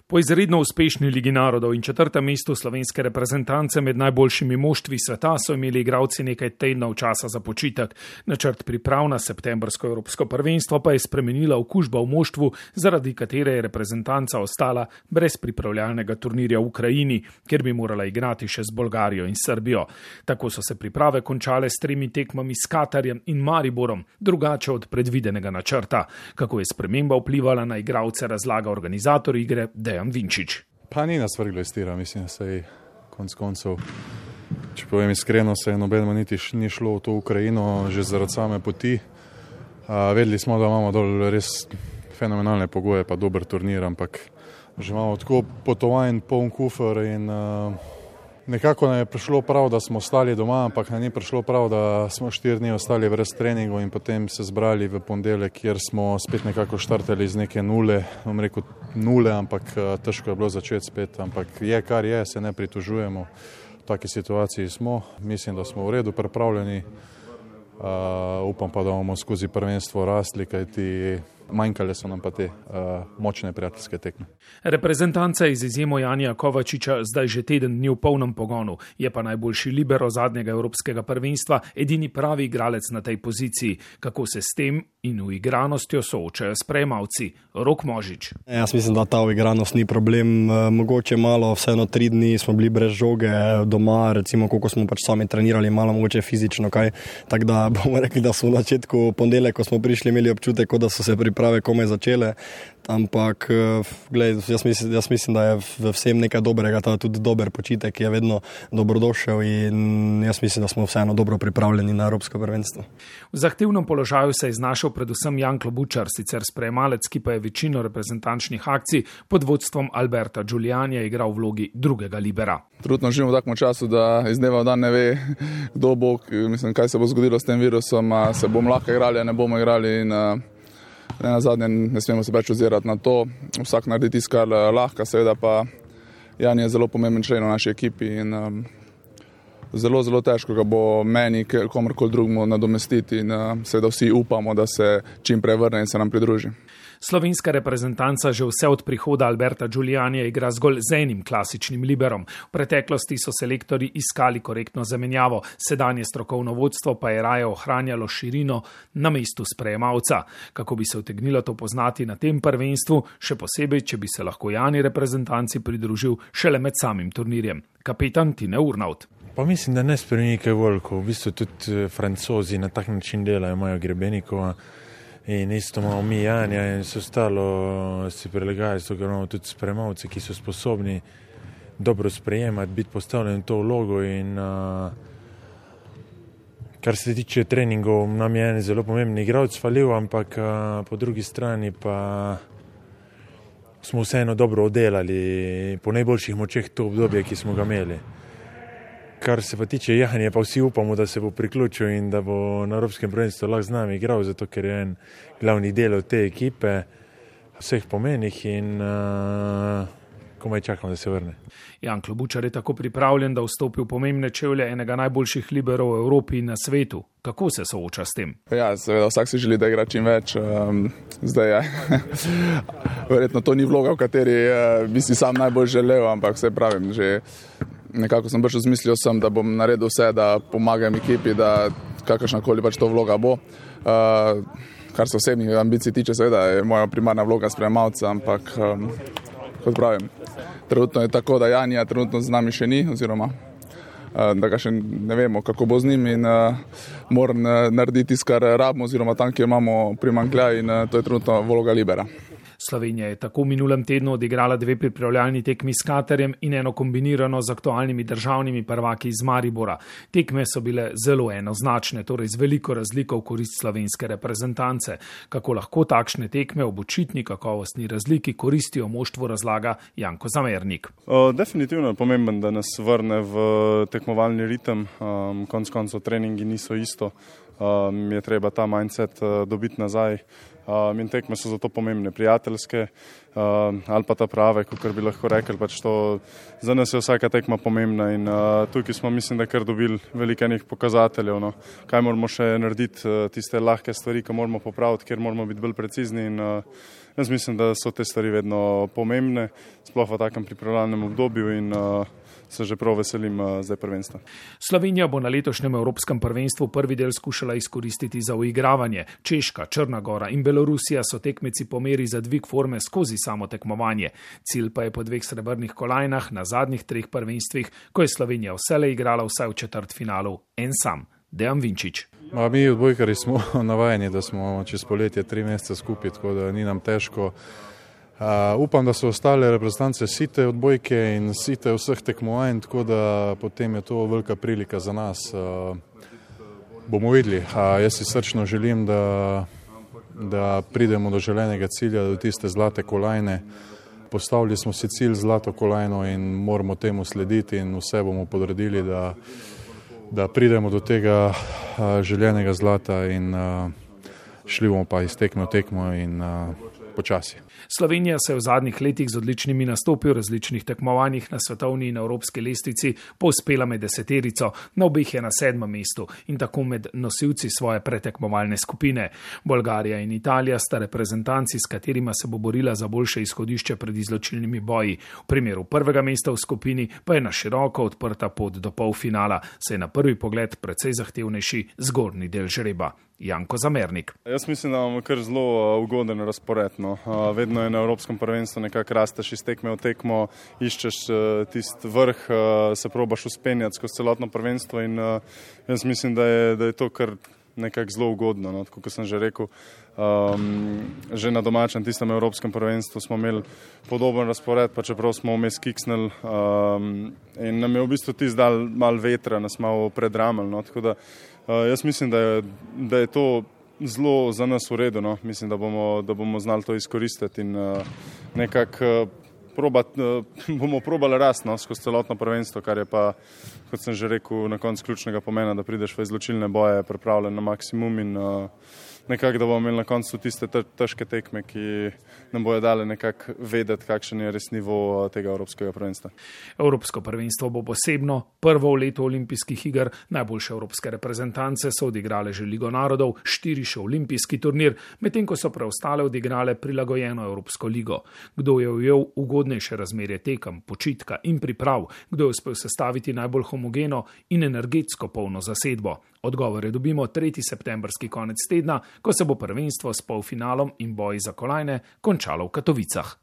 Po izredno uspešni Ligi narodov in 4. mestu slovenske reprezentance med najboljšimi moštvi sveta so imeli igralci nekaj tednov časa za počitek. Načrt priprav na septembrsko evropsko prvenstvo pa je spremenila okužba v moštvu, zaradi katere je reprezentanca ostala brez pripravljalnega turnirja v Ukrajini, kjer bi morala igrati še z Bolgarijo in Srbijo. Tako so se priprave končale s 3 tekmami s Katarjem in Mariborom, drugače od predvidenega načrta. Kako je sprememba vplivala na igralce, razlaga organizator igre Dejan Vinčič. Pa ni nas vrglo iz tira, mislim, se je konc koncev. Če povem iskreno, se je nobenemu niti ni šlo v to Ukrajino, že zaradi same poti. Vedeli smo, da imamo dol res fenomenalne pogoje, pa dober turnir, ampak že imamo tako potovanj, poln kufer in nekako nam je prišlo prav, da smo ostali doma, ampak nam ni prišlo prav, da smo 4 dni ostali brez treningov in potem se zbrali v ponedeljek, kjer smo spet nekako štartali z neke nule, bom rekel nule, ampak težko je bilo začeti spet, ampak je kar je, se ne pritožujemo. V taki situaciji smo, mislim, da smo v redu pripravljeni, upam pa, da bomo skozi prvenstvo rastli, kajti manjkale so nam pa te močne prijateljske tekme. Reprezentanca iz izjemo Janija Kovačiča zdaj že teden dni v polnem pogonu. Je pa najboljši libero zadnjega evropskega prvenstva, edini pravi igralec na tej poziciji. Kako se s tem in uigranostjo soočajo sprejemavci? Rok Možič. Jaz mislim, da ta uigranost ni problem. Mogoče malo, vseeno 3 dni smo bili brez žoge doma, recimo koliko smo pač sami trenirali, malo mogoče fizično kaj. Tako da bomo rekli, da smo v začetku ponedeljka, ko smo prišli, imeli občutek, kot da so se priprave komaj začele, ampak gled, jaz mislim, da je v vsem nekaj dobrega, ta tudi dober počitek je vedno dobrodošel in jaz mislim, da smo vseeno dobro pripravljeni na evropsko prvenstvo. V zahtevnem položaju se je znašel predvsem Jan Klobučar, sicer sprejemalec, ki pa je večino reprezentančnih akcij pod vodstvom Alberta Giulianija igral v vlogi drugega libera. Trenutno živimo v takem času, da iz dneva v dan ne ve, kdo bo, mislim, kaj se bo zgodilo s tem virusom, se bomo lahko igrali, ne bomo igrali in ne nazadnje ne smemo se več ozirati na to. Vsak naredi tisto, kar lahko, seveda pa Jan je zelo pomemben člen v naši ekipi in zelo, zelo težko ga bo meni, komorkoli drugemu nadomestiti in seveda vsi upamo, da se čim prej vrne in se nam pridruži. Slovenska reprezentanca že vse od prihoda Alberta Giulianija igra zgolj z enim klasičnim liberom. V preteklosti so selektorji iskali korektno zamenjavo, sedanje strokovno vodstvo pa je raje ohranjalo širino na mestu sprejemalca. Kako bi se utegnilo to poznati na tem prvenstvu, še posebej, če bi se lahko Jani reprezentanci pridružil šele med samim turnirjem. Kapetan Tine Urnaut. Pa mislim, da ne spremeni kaj veliko. V bistvu tudi Francozi na tak način delajo, imajo Grebenikova. In isto imamo mi Janja in se ostalo si prilegajo, zato ker imamo tudi sprejemavce, ki so sposobni dobro sprejemati, biti postavljeni v to vlogo in kar se tiče treningov, nam je en zelo pomembni igralec falil, ampak po drugi strani pa smo vseeno dobro oddelali po najboljših močeh to obdobje, ki smo ga imeli. Kar se pa tiče Jahanja, pa vsi upamo, da se bo priključil in da bo na evropskem prvenstvu lahko z nami igral, zato ker je en glavni del od te ekipe, vseh pomenih in komaj čakam, da se vrne. Jan Klobučar je tako pripravljen, da vstopi v pomembne čevlje enega najboljših liberov v Evropi in na svetu. Kako se sooča s tem? Ja, seveda, vsak si želi, da igra čim več. Zdaj je. Verjetno to ni vloga, v kateri bi si sam najbolj želel, ampak vse pravim, že nekako sem brž zmislil sem, da bom naredil vse, da pomagam ekipi, da kakršnakoli pač to vloga bo. Kar se osebnih ambicij tiče, seveda je moja primarna vloga sprejemalca, ampak kot pravim, trenutno je tako, da Janja trenutno z nami še ni, oziroma da ga še ne vemo, kako bo z njim in moram narediti tisto, kar rabimo, oziroma tam, kjer imamo primanjkljaj in to je trenutno vloga libera. Slovenija je tako v minulem tednu odigrala 2 pripravljalni tekmi s Katarjem in eno kombinirano z aktualnimi državnimi prvaki iz Maribora. Tekme so bile zelo enoznačne, torej z veliko razliko v korist slovenske reprezentance. Kako lahko takšne tekme ob očitni kakovostni razliki koristijo moštvu, razlaga Janko Zamernik. Definitivno je pomemben, da nas vrne v tekmovalni ritem. Konec koncev treningi niso isto. Je treba ta mindset dobiti nazaj. In tekme so zato pomembne, prijateljske, ali pa ta prave, kot bi lahko rekli. Pač to, za nas je vsaka tekma pomembna in tukaj smo, mislim, da kar dobili veliko enih pokazateljev, no. Kaj moramo še narediti, tiste lahke stvari, ki moramo popraviti, kjer moramo biti bolj precizni in jaz mislim, da so te stvari vedno pomembne, sploh v takem pripravljalnem obdobju in se že prav veselim zdaj prvenstva. Slovenija bo na letošnjem Evropskem prvenstvu prvi del skušala izkoristiti za uigravanje. Češka, Črna Gora in Belorusija so tekmeci po meri za dvig forme skozi samo tekmovanje. Cilj pa je po 2 srebrnih kolajnah na zadnjih 3 prvenstvih, ko je Slovenija vselej igrala vsaj v četrtfinalu en sam. Dejan Vinčič. Mi odbojkarji smo navajeni, da smo čez poletje 3 mesece skupaj, tako da ni nam težko. Upam, da so ostale reprezentance site odbojke in site vseh tekmovanj, tako da potem je to velika prilika za nas. Bomo videli. Jaz si srčno želim, da pridemo do želenega cilja, do tiste zlate kolajne. Postavili smo si cilj zlato kolajno in moramo temu slediti in vse bomo podredili, da pridemo do tega željenega zlata in šli bomo pa iz tekme v tekmo in počasi. Slovenija se je v zadnjih letih z odličnimi nastopi v različnih tekmovanjih na svetovni in evropski lestvici povzpela med 10, na obeh je na 7. mestu in tako med nosilci svoje pretekmovalne skupine. Bolgarija in Italija sta reprezentanci, s katerima se bo borila za boljše izhodišče pred izločilnimi boji. V primeru prvega mesta v skupini pa je na široko odprta pot do polfinala, saj je na prvi pogled precej zahtevnejši zgornji del žreba. Janko Zamernik. Jaz mislim, da imamo kar zelo ugoden razpored. No. Vedno je na Evropskem prvenstvu nekako rasteš iz tekme v tekmo, iščeš tisti vrh, se probaš uspenjati skozi celotno prvenstvo in jaz mislim, da je to kar nekako zelo ugodno. No. Tako kot sem že rekel, že na domačem tistem Evropskem prvenstvu smo imeli podoben razpored, pa čeprav smo vmes kiksnili in nam je v bistvu tisti dal malo vetra, nas malo predramali. No. Tako da jaz mislim, da je to zelo za nas v redu. No. Mislim, da bomo znali to izkoristiti in nekako bomo probali rast, no, skozi celotno prvenstvo, kar je pa, kot sem že rekel, na koncu ključnega pomena, da prideš v izločilne boje pripravljen na maksimum in nekako, da bomo imeli na koncu tiste težke tekme, ki nam bojo dale nekako vedeti, kakšen je res nivo tega Evropskega prvenstva. Evropsko prvenstvo bo posebno, prvo v letu olimpijskih iger, najboljše evropske reprezentance so odigrale že Ligo narodov, 4 še olimpijski turnir, medtem ko so preostale odigrale prilagojeno Evropsko ligo. Kdo je ujel ugodnejše razmerje tekem, počitka in priprav, kdo je uspel sestaviti najbolj homogeno in energetsko polno zasedbo? Odgovore dobimo 3. septembrski konec tedna, ko se bo prvenstvo s polfinalom in boji za kolajne končalo v Katovicah.